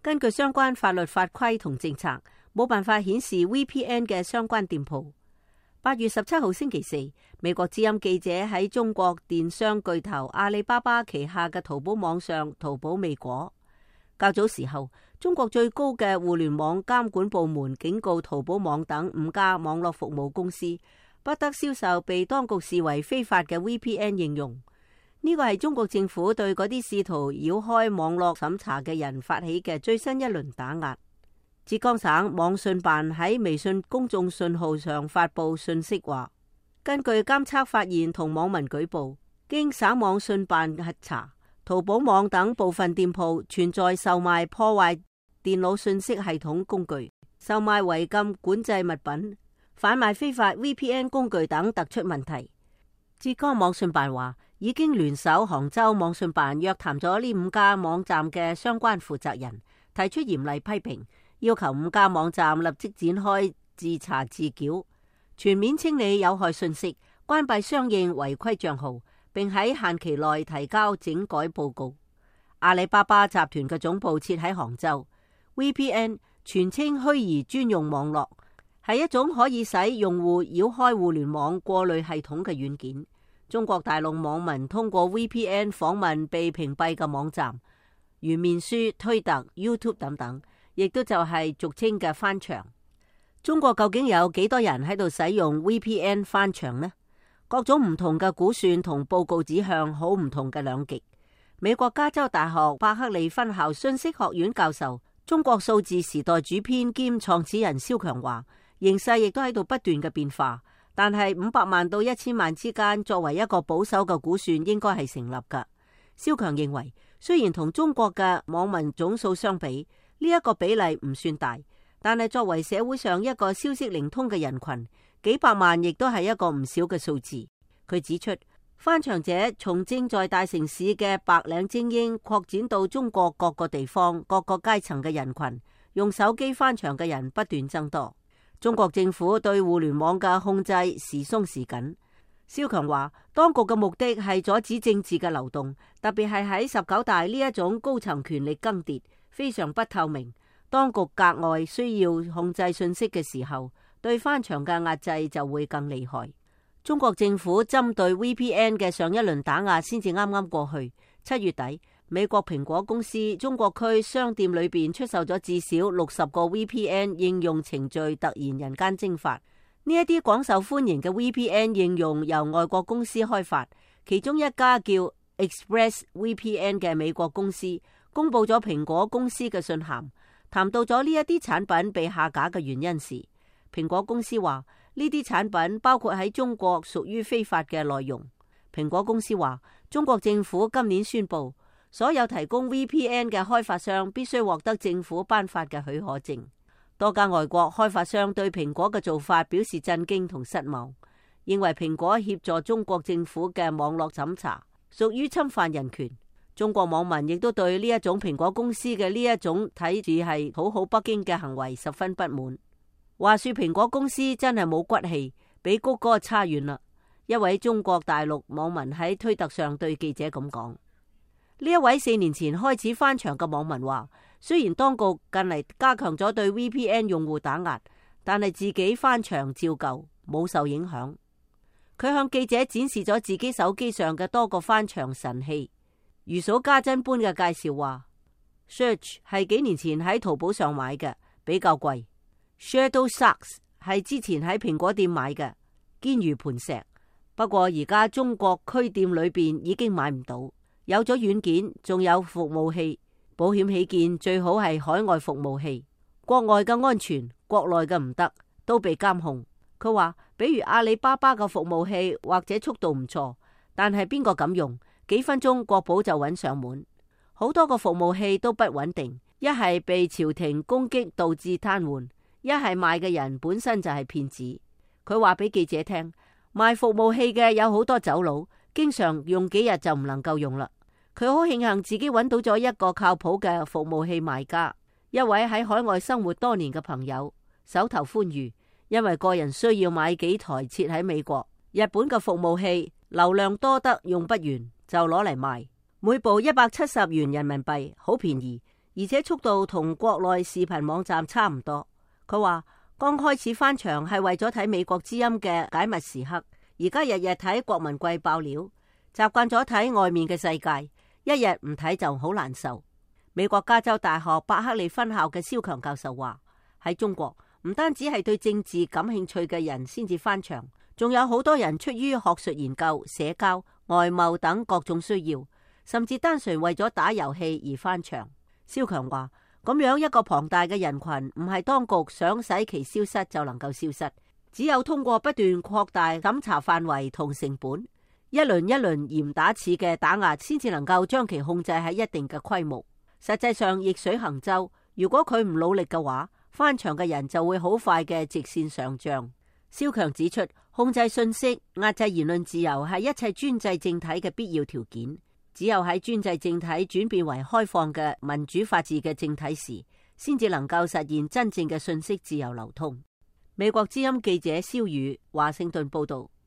根據相關法律法規同政策，冇辦法顯示 VPN 嘅相關店鋪。8月17號星期四，美國之音記者喺中國電商巨頭阿里巴巴旗下嘅淘寶網上淘寶未果。較早時候，中國最高嘅互聯網監管部門警告淘寶網等5家網絡服務公司，不得銷售被當局視為非法嘅 VPN 應用。呢個係中國政府對嗰啲試圖繞開網絡審查嘅人發起嘅最新一輪打壓。浙江省網信辦喺微信公眾信號上發布信息話，根據監測發現同網民舉報，經省網信辦核查，淘寶網等部分店鋪存在售賣破壞電腦信息系統工具、售賣違禁管制物品、販賣非法 VPN 工具等突出問題。浙江網信辦話，已經聯手杭州網信辦約談咗呢5家網站嘅相關負責人，提出嚴厲批評，要求5家網站立即展開自查自繳，全面清理有害信息，關閉相應違規賬號，並喺限期內提交整改報告。阿里巴巴集團嘅總部設喺杭州。VPN 全稱虛擬專用網絡，係一種可以使用戶繞開互聯網過濾系統嘅軟件。中國大陸網民通過 VPN 訪問被屏蔽嘅網站，如面書、推特、YouTube 等等，亦都就係俗稱嘅翻牆。中國究竟有幾多人喺度使用 VPN 翻牆呢？各種唔同嘅估算同報告指向好唔同嘅兩極。美國加州大學伯克利分校信息學院教授、中國數字時代主編兼創始人蕭強話，形勢亦都喺度不斷嘅變化，但係500萬到1000萬之間作為一個保守嘅估算應該係成立㗎。蕭強認為，雖然同中國嘅網民總數相比，呢一個比例唔算大，但係作為社會上一個消息靈通嘅人群，幾百萬亦都係一個唔少嘅數字。佢指出，翻牆者從正在大城市嘅白領精英擴展到中國各個地方、各個階層嘅人群，用手機翻牆嘅人不斷增多。中國政府對互聯網嘅控制時鬆時緊。蕭強話，當局嘅目的係阻止政治嘅流動，特別係喺19大呢一種高層權力更迭、非常不透明，當局格外需要控制信息嘅時候，對翻牆嘅壓制就會更厲害。中國政府針對 VPN 嘅上一輪打壓先至啱啱過去。7月底，美國蘋果公司中國區商店裏邊出售咗至少60個 VPN 應用程序，突然人間蒸發。呢一啲廣受歡迎嘅 VPN 應用由外國公司開發，其中一家叫 ExpressVPN 嘅美國公司公布咗蘋果公司嘅信函，談到咗呢一啲產品被下架嘅原因時，蘋果公司話呢啲產品包括喺中國屬於非法嘅內容。蘋果公司話，中國政府今年宣布，所有提供 VPN 嘅開發商必須獲得政府頒發嘅許可證。多家外國開發商對蘋果嘅做法表示震驚同失望，認為蘋果協助中國政府嘅網絡審查，屬於侵犯人權。中國網民亦都對呢一種蘋果公司嘅呢一種睇住係討好北京嘅行為十分不滿。話說蘋果公司真係冇骨氣，比谷歌差遠啦。一位中國大陸網民喺推特上對記者咁講。呢一位4年前開始翻牆嘅網民話，雖然當局近嚟加強咗對 VPN 用戶打壓，但係自己翻牆照舊，冇受影響。佢向記者展示咗自己手機上嘅多個翻牆神器，如數家珍般嘅介紹話 Search 係幾年前喺淘寶上買嘅，比較貴。Shadowsocks 係之前喺蘋果店買嘅，堅如磐石。不過而家中國區店裏邊已經買唔到。有咗軟件，仲有服務器，保險起見最好係海外服務器。國外嘅安全，國內嘅唔得，都被監控。佢話，比如阿里巴巴嘅服務器或者速度唔錯，但係邊個敢用？幾分鐘國保就揾上門。好多個服務器都不穩定，一係被朝廷攻擊導致癱瘓，一係賣嘅人本身就係騙子。佢話俾記者聽，賣服務器嘅有好多走佬，經常用幾日就唔能夠用啦。佢好慶幸自己揾到咗一個靠譜嘅服務器賣家，一位喺海外生活多年嘅朋友，手頭寬裕，因為個人需要買幾台設喺美國、日本嘅服務器，流量多得用不完，就攞嚟賣，每部170元人民幣，好便宜，而且速度同國內視頻網站差唔多。佢話剛開始翻牆係為咗睇美國之音嘅解密時刻，而家日日睇國民貴爆料，習慣咗睇外面嘅世界，一日唔睇就好難受。美國加州大學伯克利分校嘅蕭強教授話，喺中國唔單止係對政治感興趣嘅人先至翻牆，仲有好多人出於學術研究、社交、外貿等各種需要，甚至單純為咗打遊戲而翻牆。蕭強話，咁樣一個龐大嘅人群，唔係當局想使其消失就能夠消失，只有通過不斷擴大審查範圍同成本，一輪一輪嚴打似嘅打壓，先至能夠將其控制喺一定嘅規模。實際上逆水行舟，如果佢唔努力嘅話，翻牆嘅人就會好快嘅直線上漲。蕭強指出，控制信息、壓制言論自由係一切專制政體嘅必要條件。只有喺專制政體轉變為開放嘅民主法治嘅政體時，先至能夠實現真正嘅信息自由流通。美國之音記者蕭宇華盛頓報道。